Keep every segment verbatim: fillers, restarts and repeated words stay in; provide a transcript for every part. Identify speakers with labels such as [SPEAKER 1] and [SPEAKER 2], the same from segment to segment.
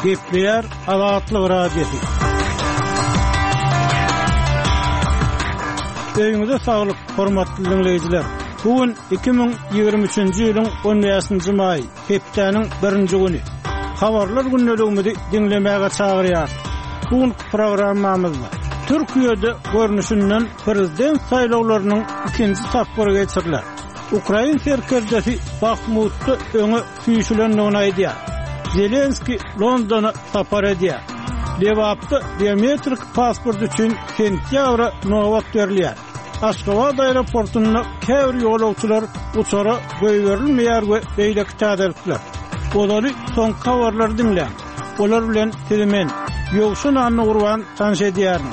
[SPEAKER 1] Gepleýär Azatlyk Radiosy. Öýüňize saglyk, hormatly dinleýjiler. Bu gün iki müň ýigrimi üçünji ýylyň on bäşinji maýy, hepdäniň birinji güni. Habarlar gündeligimizi diňlemäge çagyrýar. Bu günki programmamyzda Türkiýede görnüşinden prezident saýlawlarynyň ikinji tapgyry geçiriler. Ukrain serkerdesi Bahmutda öňe süýşülendigini aýdýar. Zelenski Londona sapar edýär. Lebapda biometrik pasport üçin sentýabra nobat berilýär. Aşgabat aeroportunda käbir ýolagçylar uçara goýberilmeýär we beýleki täzelikler. Olary soňky habarlary diňläň. Olar bilen sizi men, Ýowşan Annagurban tanyş edýärin.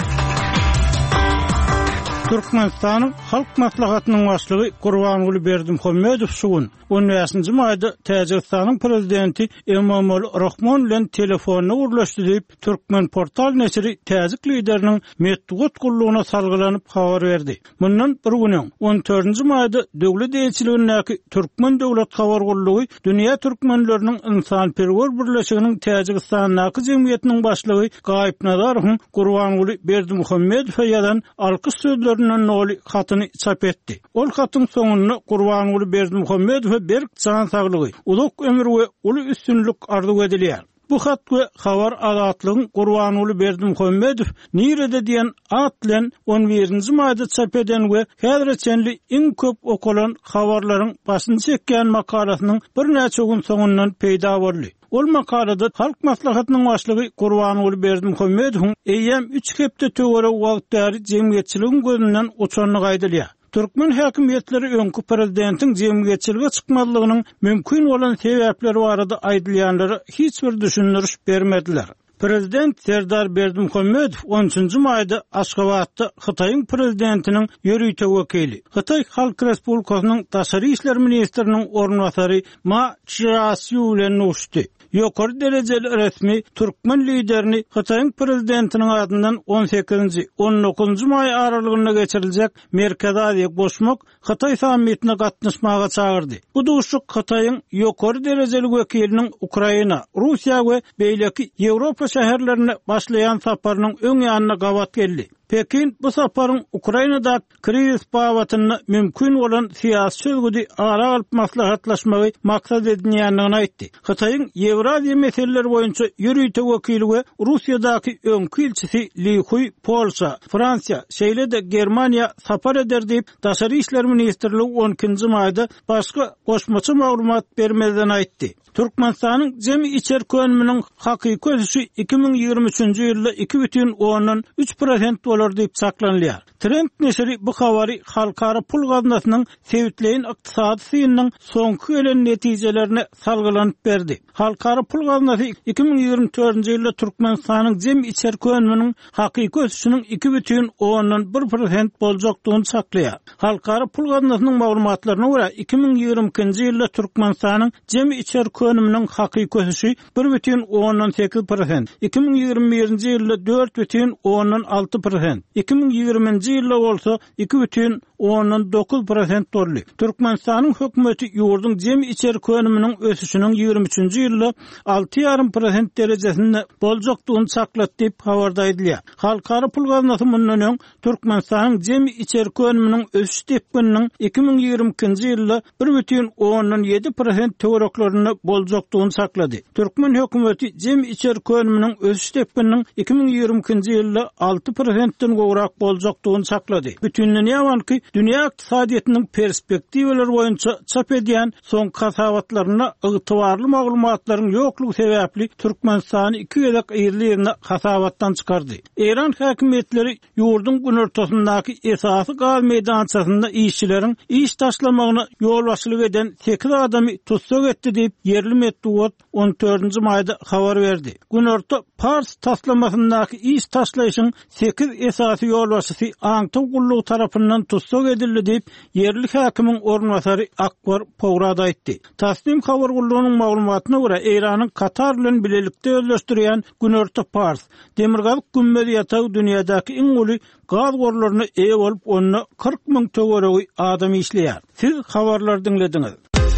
[SPEAKER 1] Türkmenistanyň Halk Maslahatynyň başlygy Gurbanguly Berdimuhamedow şu gün on bäşinji maýda Täjigistanyň prezidenti Emomali Rahmon bilen telefonda gürleşdi diýip, Türkmen portal neşiri täjik lideriniň metbugat gullugyna salgylanyp habar berdi. Mundan bir gün öň, on dördünji maýda döwlet eýeçiligindäki Türkmen döwlet habar gullugy Dünýä Türkmenleriniň Ynsanperwer Birleşiginiň Täjigistandaky jemgyýetiniň başlygy Gaýyp Nazarowyň Gurbanguly Berdimuhamedowa ýazan alkyş sözlerinden doly hatyny çap etdi. Ol hatyň soňunda Gurbanguly Berdimuhamedowa berk jan saglygy, uzak ömür we uly üstünlik arzuw edilýär. Bu hat we habar Azatlygyň Gurbanguly Berdimuhamedow nirede diýen at bilen on birinji maýda çap eden we häzire çenli iň köp okalan habarlaryň başyny çekýän makalasynyň birnäçe gün soňundan peýda boldy. Ol makalada Halk Maslahatynyň başlygy Gurbanguly Berdimuhamedowyň eýýäm üç hepde töweregi wagt bäri jemgyýetçiligiň gözünden uçandygy aýdylýar. Türkmen häkimiýetleri öňki prezidentiň jemgyýetçilige çykmazlygynyň mümkin bolan sebäpleri barada aýdylýanlara hiç bir düşündiriş bermediler. Prezident Serdar Berdimuhamedow on üçünji maýda Aşgabatda Hytaýyň prezidentiniň ýörite wekili, Hytaý Halk Respublikasynyň Daşary işler ministriniň orunbasary Ma Çžasýu bilen duşdy. Ýokary derejeli resmi türkmen liderini Hytaýyň prezidentiniň adyndan on sekizinji, on dokuzunjy maý aralygynda geçiriljek Merkezi Aziýa goşmak Hytaý sammitine gatnaşmaga çagyrdy. Bu duşuk Hytaýyň ýokary derejeli wekiliniň Ukraina, Russiýa we beýleki Ýewropa şäherlerine başlaýan saparynyň öň ýanyna gabat geldi. Pekin bu saparyň Ukrainada krizis babatynda mümkin bolan syýasy çözgüdi ara alyp maslahatlaşmagy maksat edinýändigini aýtdy. Hytaýyň Ýewraziýa meseleleri boýunça ýörite wekili we Russiýadaky öňki ilçisi Li Hui Polşa, Fransiýa, şeýle-de Germaniýa sapar eder diýip, Daşary işler ministrligi on ikinji maýda başga goşmaça maglumat bermezden aýtdy. Türkmenistanyň jemi içerki önüminiň hakyky ösüşi iki müň ýigrimi üçünji ýylda iki bütin ondan üç prosent bolar diýip çaklanylýar. Trend neşiri bu habary Halkara pul gaznasynyň sebitleýin ykdysady synynyň soňky gelen netijelerine salgylanyp berdi. Halkara pul gaznasy iki müň ýigrimi dördünji ýylda Türkmenistanyň jemi içerki önüminiň hakyky ösüşiniň iki bütin ondan bir prosent boljakdygyny çaklaýar. Halkara pul gaznasynyň maglumatlaryna görä iki müň ýigrimi ikinji ýylda Türkmenistanyň jemi içerki önüminiň hakyky ösüşi bir bütin ondan sekiz prosent, iki müň ýigrimi birinji ýylda dört bütin ondan alty prosent, iki müň ýigriminji ýylda bolsa iki bütin ondan dokuz prosent boldy. Türkmenistanyň hökümeti ýurduň jemi içerki önüminiň ösüşiniň ýigrimi üçünji ýylda alty ýarym prosent derejesinde boljakdygyny çaklady diýip habarda aýdylýar. Halkara pul gaznasy mundan öň Türkmenistanyň jemi içerki önüminiň ösüş depgininiň iki müň ýigrimi ikinji ýylda bir bütin ondan ýedi prosent töwereklerinde boljakdygyny çaklady. Türkmen hökümeti jemi içerki önüminiň ösüş depgininiň iki müň ýigrimi ikinji ýylda alty prosentden gowrak boljakdygyny çaklady. Bütindünýä Banky dünýä ykdysadyýetiniň perspektiwalar boýunça çap edýän soňky hasabatlarynda ygtybarly maglumatlaryň ýoklugy sebäpli Türkmenistany iki gezek yzly-yzyna hasabatdan çykardy. Eýran häkimiýetleri ýurduň günortasyndaky esasy gaz meýdançasynda işçileriň iş taşlamagyna ýolbaşçylyk eden sekiz adamy tussag etdi diýip ýerli metbugat on dördünji maýda habar berdi. Günorta Pars taslamasyndaky iş taşlaýşyň sekiz esasy ýolbaşçysy aňtaw gullugy tarapyndan tussag edildi diýip ýerli häkimiň orunbasary Akbar Powrad aýtdy. Tasnim habar gullugynyň maglumatyna görä Eýranyň Katar bilen bilelikde özleşdirýän Günorta Pars Demirgazyk gümmez ýatagy dünýädäki iň uly gaz gorlaryna eýe bolup, onda kyrk müň töweregi adam işleýär. Siz habarlar diňlediňiz.